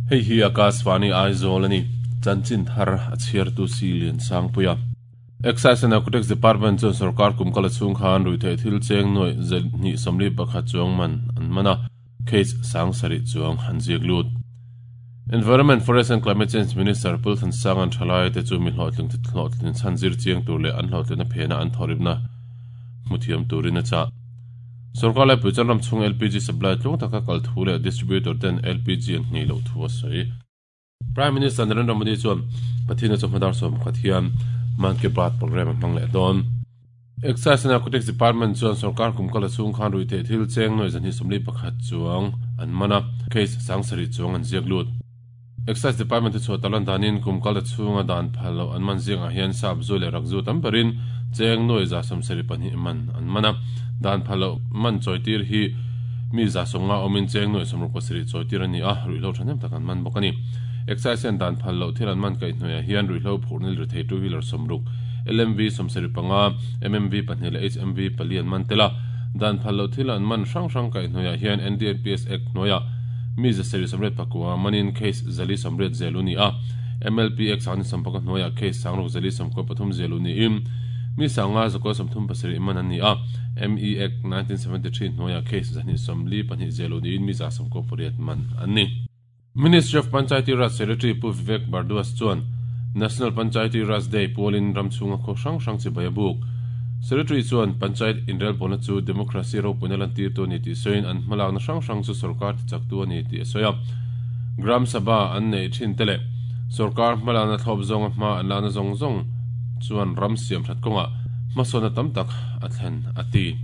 Hei hi Akashvani Aizawl a ni. Chanchin thar a chhiartu si Liansangpuia. Excise and Narcotics Department chuan sorkar kum kala chhung khan ruihtheih thil cheng nuai 221 chuang man an man a, case 7,000 chuang an ziak lut. Environment, Forest and Climate Change Minister Pu Thansang an thalai te chu mi hlawhtling hlawhtlin chhan zir chiang tur leh an hlawhtlina phena an thawrimna hmuthiam turin a chah. Sorkar lai pui chuan ram chhung LPG supply tluang taka kal thu leh distributor ten LPG an nghei loh thu a sawi. Prime Minister Narendra Modi chuan Pathina chawhma dar 11 hian Mann Ki Baat program a hmang leh dawn. Excise and Narcotics Department chuan sorkar kum kala chhung khan ruihtheih thil cheng nuai 221 chuang an man a, case 7,000 chuang an ziak lut. Excise Department te chhuah talan danin kum kala chhunga dan phal loh an man zingah hian sap zu leh rak zu tam berin cheng nuai 172 man an man a, dan phal loh man chawitir hi mi 150 awmin cheng nuai 67 chawitir a ni a, ruihhlo thahnem tak an man bawk a ni. Excise hian dan phal loh thil an man kaih hnuaiah hian ruihhlo phurh nil ri thei two wheeler 60, LMV 75, MMV 2 leh HMV 4 an man tel a, dan phal loh thil an man hrang hrang kaih hnuaiah hian NDPS Act hnuaiah mi 789 manin case 480 zelu ni a, MLP Act 19 hnuaiah case 6493 zelu niin mi 537 man an ni a, ME Act 1973 hnuaiah case 242 zelu niin mi 198 man an ni. Ministry of Panchayati Raj Secretary Pu Vivek Bhardwaj chuan National Panchayati Raj Day pualin ram chhunga khaw hrang hrang chibai a buk. Secretary chuan Panchayat inrelbawlna chu democracy ropuina lantir tu a ni tih sawiin an hmalakna hrang hrang chu sorkar tichak tu a ni tih a sawi a. Gram Sabha an nei thin te leh sorkar hmalakna thlawp zawnga hma an lakna zawng zawng chuan ram siam that kawngah hmasawna tam tak a thlen a ti.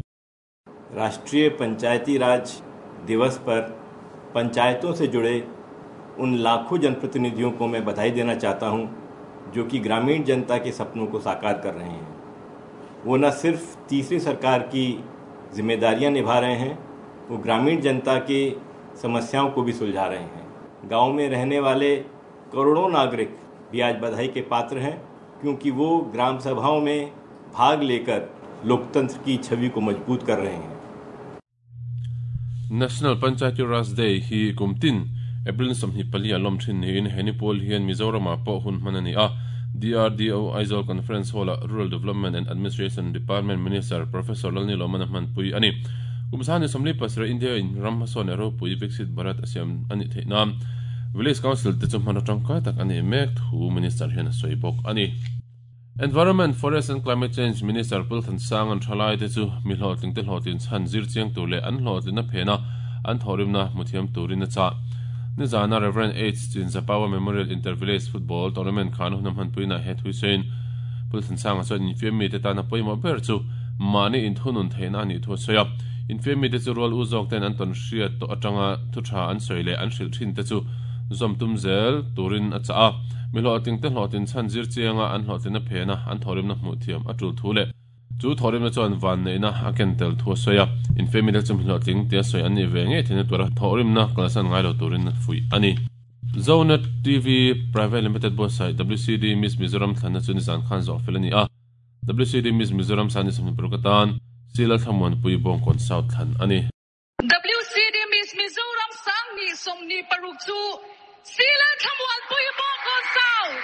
राष्ट्रीय पंचायती राज दिवस पर पंचायतों से जुड़े उन लाखों जनप्रतिनिधियों को मैं बधाई देना चाहता हूं जो कि ग्रामीण जनता के सपनों को साकार कर रहे हैं। वो न सिर्फ तीसरी सरकार की जिम्मेदारियां निभा रहे हैं, वो ग्रामीण जनता की समस्याओं को भी सुलझा रहे हैं। गांव में रहने वाले करोड़ों नागरिक भी आज बधाई के पात्र हैं, क्योंकि वो ग्राम सभाओं में भाग लेकर लोकतंत्र की छवि को मजबूत कर रहे हैं। National Panchayati Raj Day hi kumtin April 24 a lawm thin niin heni pawl hian Mizoram ah pawh hun hman a ni a. DRDO Aizawl Conference Hall ah Rural Development and Administration Department Minister Professor Lalni Lawman a hmanpui a ni. Kum 27 India in ram hmasawn leh ropui Viksit Bharat a siam a nih theih nan Village Council te chu hman atangkai tak a nih mek thu Minister hian a sawi bawk a ni. Environment, Forest and Climate Change Minister Pu Thansang an thalai te chu mi hlawhtling te hlawhtlin chhan zir chiang tur leh an hlawhtlina phena an thawrimna hmuthiam turin a chah. Nizana Reverend H. Chinzapawa Memorial Inter-Village Football Tournament khan hun a hmanpuina he thui sawiin Pu Thansanga chuan infiam mi te tana pawimawh ber chu mahni inthunun theihna a nih thu a sawi a. Infiam mi te chu rual u zawk ten an tawn hriat tawh atanga thu tha an sawi leh an hrilh thin te chu zawm tum zel turin a chah a. Mi hlawhtling te hlawhtlin chhan zir chianga an hlawhtlina phena an thawrimna hmuh thiam a tul thu leh chu thawrimna chuan van neihna a ken tel thu a sawi a. Infiam mi te chu mi hlawhtling tia sawi an nih ve ngei theihna tura thawrimna kalsan ngai lo turin a fuih a ni. Zonet TV Private Limited buatsaih WCD Miss Mizoram thlanna chu nizan khan zawh fel a ni a. WCD Miss Mizoram Sani 26 atan Sila Thlamuanpui Bawngkawn South thlan a ni. WCD Miss Mizoram 2026 chu Sila Thlamuanpui Bawngkawn South.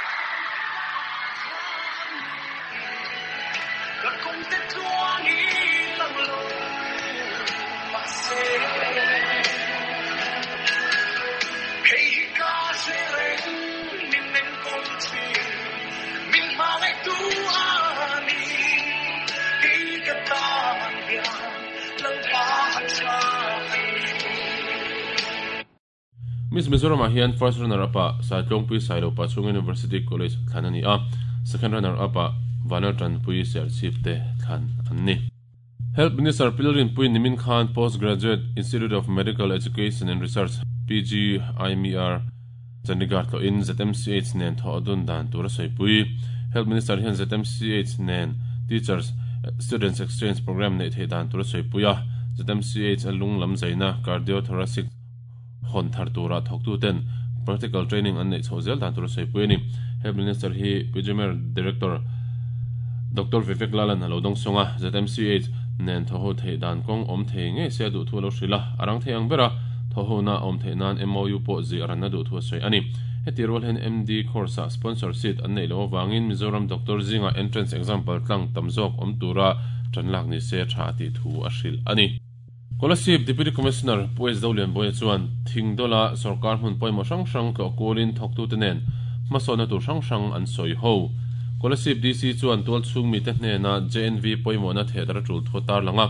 Miss Mizoram ah hian first runner up ah Saitlawngpui Sailo Pachhung University College thlan a ni a, second runner up ah Vanal Tanpui Serchhip te thlan an ni. Health Minister Pilrin Pui nimin khan Post Graduate Institute of Medical Education and Research, PGIMER, Chandigarh tlawhin ZMCH nen thawh a dun dan tur a sawipui. Health Minister hian ZMCH nen Teachers Students Exchange Programme neih theih dan tur a sawipui a, ZMCH a lung lam zaina Cardiothoracic hawn thar tura thawktuten practical training an neih chhoh zel dan tur a sawipui a ni. Health Minister hi PGIMER Director Doctor Vivek Lalan a lo dawng sawng a, ZMCH nen thawh ho theih dan kawng awm thei ngei se a duh thu a lo hrilh a, a rang thei ang ber a, Thawhhona a awm theih nan MOU pawh zih a ranna duh thu a sawi a ni. Heti rual hian MD course ah sponsor seat an neih loh avangin Mizoram doctor zingah entrance exam paltlang tam zawk awm tura tan lak ni se tha a tih thu a hrilh a ni. Kolasib Deputy Commissioner Pu S Dolianbawiha chuan Thingdawla sorkar hmun pawimawh hrang hrang tlawh kualin thawktute nen hmasawnna tur hrang hrang an sawi ho. Kolasib DC chuan tualchhung mite hnena JNV pawimawhna thehdar a tul thu a tarlang a.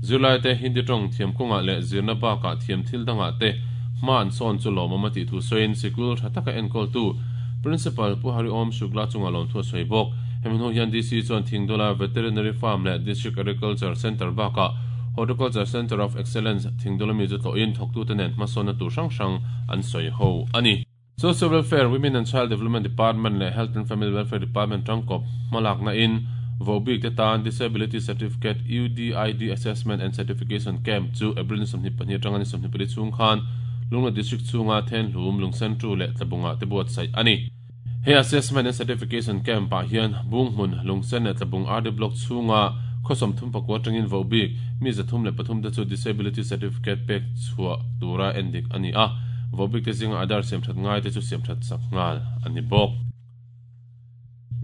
Zirlaite Hindi tawng thiam kawngah leh zirna bakah thiam thil dangah te hma an sawn chu lawmawm a tih thu sawiin sikul tha taka enkawltu Principal Pu Hariom Shukla chungah lawmthu a sawi bawk. Hemi hnu hian DC chuan Thingdawla Veterinary Farm leh District Agriculture Centre bakah Horticulture Centre of Excellence Thingdawla mi chu tlawhin thawktute nen hmasawnna tur hrang hrang an sawi ho a ni. Social Welfare, Women and Child Development Department leh Health and Family Welfare Department tangkawp hmalakna in vohbik te tan Disability Certificate UDID Assessment and Certification Camp chu April ni 22 atanga ni 24 chhung khan Lunglei District chhunga Thenhlum, Lungsentu leh Tlabungah te buatsaih a ni. He Assessment and Certification Camp ah hian Bunghmun, Lungsen leh Tlabung RD Block chhunga khaw 34 atangin vohbik mi 303 te chu Disability Certificate pek chhuah tura endik a ni a, vohbik te zinga Aadhaar siamthat ngai te chu siamthat sak nghal a ni bawk.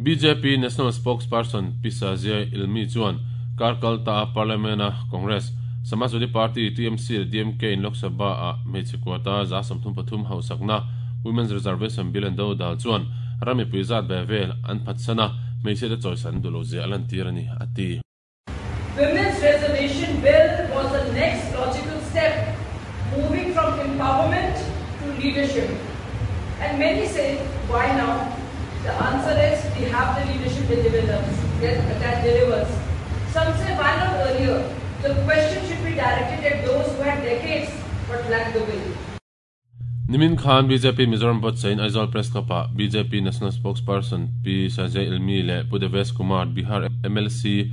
Bjp National Spokesperson Pi Shazia Ilmi chuan kar kal ta a Parliament a Congress, Samajwadi Party, TMC leh DMK in Lok Sabha ah hmeichhe quota 33 hausakna Women's Reservation Bill an do dal chuan ram mipui zat ve vel an phatsan a, hmeichhia te chawisan duh lo zia a lantir a ni, a ti. Women's Reservation Bill was the next logical step, moving from empowerment to leadership. And many say, why now? The answer is, we have the leadership that delivers. That, that delivers. Some say, why not earlier? The question should be directed at those who had decades but lacked the will. Nimin khan bjp Mizoram buatsahin Aizawl Press Club-ah bjp National Spokesperson Pi Sanjay Ilmi leh Pu Devesh Kumar, Bihar mlc,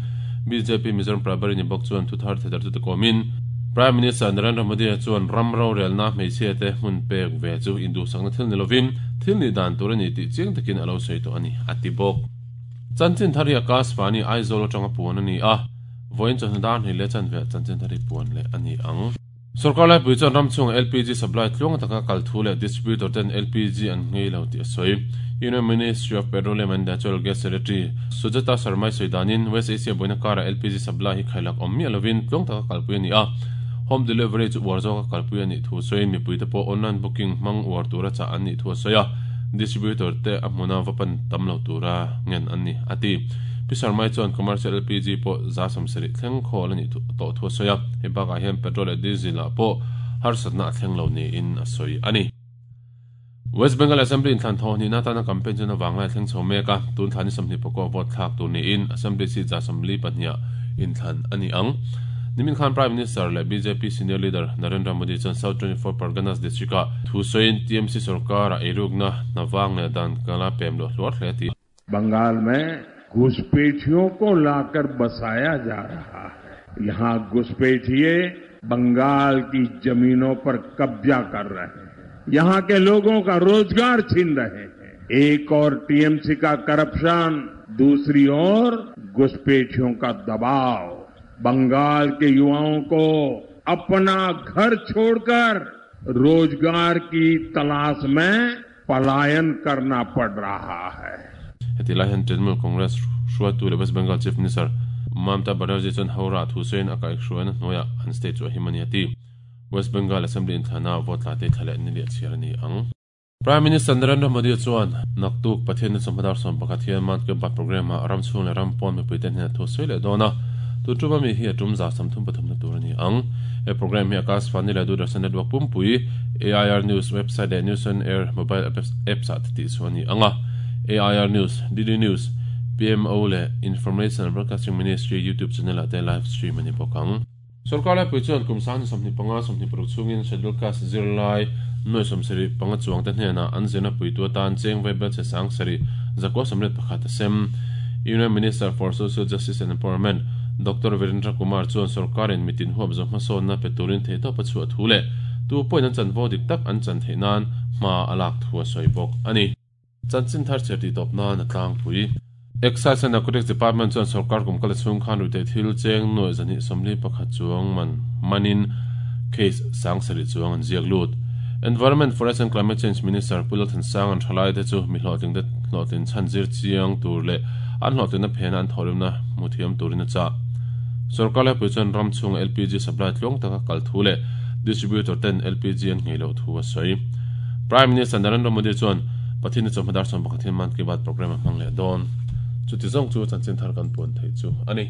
bjp Mizoram Prabhari ni bawk chuan thuthar thedartute kawmin Prime Minister Narendra Modi chuan ram rorelna hmeichhia te hmun pek ve chu induhsakna thil ni lovin thil nih dan tur a ni tih chiang takin a lo sawi tawh a ni, a ti bawk. Chanchin thar hi Akashvani Aizawl atanga puan a ni a, vawiin chawhnu dar hnih leh chanve chanchin thar hi puan leh a ni ang. Sorkar laipui chuan ram chhunga LPG supply tluang taka kal thu leh distributor ten LPG an nghei lo tih a sawi. Union Ministry of Petroleum and Natural Gas Secretary Sujata Sharma-i sawi danin West Asia buaina karah LPG supply hi khailak awm miah lovin tluang taka kalpui a ni a. Home delivery chu uar zawka kalpui a nih thu sawiin mipuite pawh online booking hmang uar tura chah an nih thu a sawi a, distributor te a hmuna va pan tam lo tura ngen an ni, a ti. Pi Sharma-i chuan commercial LPG pawh 70% thleng khawl a nih tawh thu a sawi a, hei bakah hian petrol leh diesel ah pawh harsatna a thleng lo niin a sawi a ni. West Bengal Assembly inthlan thawh hnihna atana campaign chuan avang lai a thleng chho mek a, tun thla ni 24 vote thlak tur niin Assembly seat 72 ah inthlan a ni ang. Nimin khan Prime Minister leh bjp senior leader Narendra Modi chuan South 24 Parganas district ah thu sawiin TMC sorkar ah eirukna hna vang leh dan kala pem luah hluar hle a ti. Bengal में घुसपैठियों को लाकर बसाया जा रहा है। यहां घुसपैठिए बंगाल की जमीनों पर कब्जा कर रहे हैं, यहां के लोगों का रोजगार छीन रहे हैं। एक और टीएमसी का करप्शन, दूसरी ओर घुसपैठियों का दबाव। बंगाल के युवाओं को अपना घर छोड़कर रोजगार की तलाश में पलायन करना पड़ रहा है। Heti lai hian Trinamool Congress hruaitu leh West Bengal Chief Minister Mamata Banerjee chuan Howrah thu sawiin a kaihhruaina hnuaiah an state chu a him a ni a ti. West Bengal Assembly inthlana vote la te thla leh ni leh chhiar a ni ang. Prime Minister Narendra Modi chuan naktuk Pathian chawhma dar 11 hian Mann Ki Baat programme ah ram chhung leh ram pawn mipuite hnenah thu sawi leh dawn a, tun tum ami hi a tum 33 na tur a ni ang. He programme hi Akashvani leh Doordarshan Network pumpui, AIR News website leh News on Air mobile apps ah te tih chu a ni ang a. AIR News, DD News, PMO leh Information and Broadcasting Ministry YouTube channel ah te live stream a ni bawk ang. Sorkar laipui chuan kum 25, 26 chhungin Schedule Caste zirlai nuai 75 chuangte hnenah an zirna puitu atan cheng vaibel che sang sarih 981 a sem. Union Minister for Social Justice and Empowerment, Doctor Virendra Kumar chuan sorkarin mitin huap zawh hmasawnna pe turin theihtawp a chhuah thu leh tu pawhin an chanvo dik tak an chan theih nan hma a lak thu a sawi bawk a ni. Chanchin thar chhiar tih tawp nan a tlangpui. Excise and Narcotics Department chuan sorkar kum kala chhung khan ruihtheih thil cheng nuai 241 chuang man manin case 7,000 chuang an ziak lut. Environment, Forest and Climate Change Minister Pu Lalthansang an thalai te chu mi hlawhtling te hlawhtlin chhan zir chiang tur leh an hlawhtlinna phena an thawhrimna hmu thiam turin a chah. Sorkar laipui chuan ram chhunga LPG supply tluang taka kal thu leh distributor ten LPG an nghei loh thu a sawi. Prime Minister Narendra Modi chuan Pathianni chawhma dar 11 hian Mann Ki Baat programme a hmang leh dawn. Chuti zawng chu chanchin thar kan puan theih chu a ni.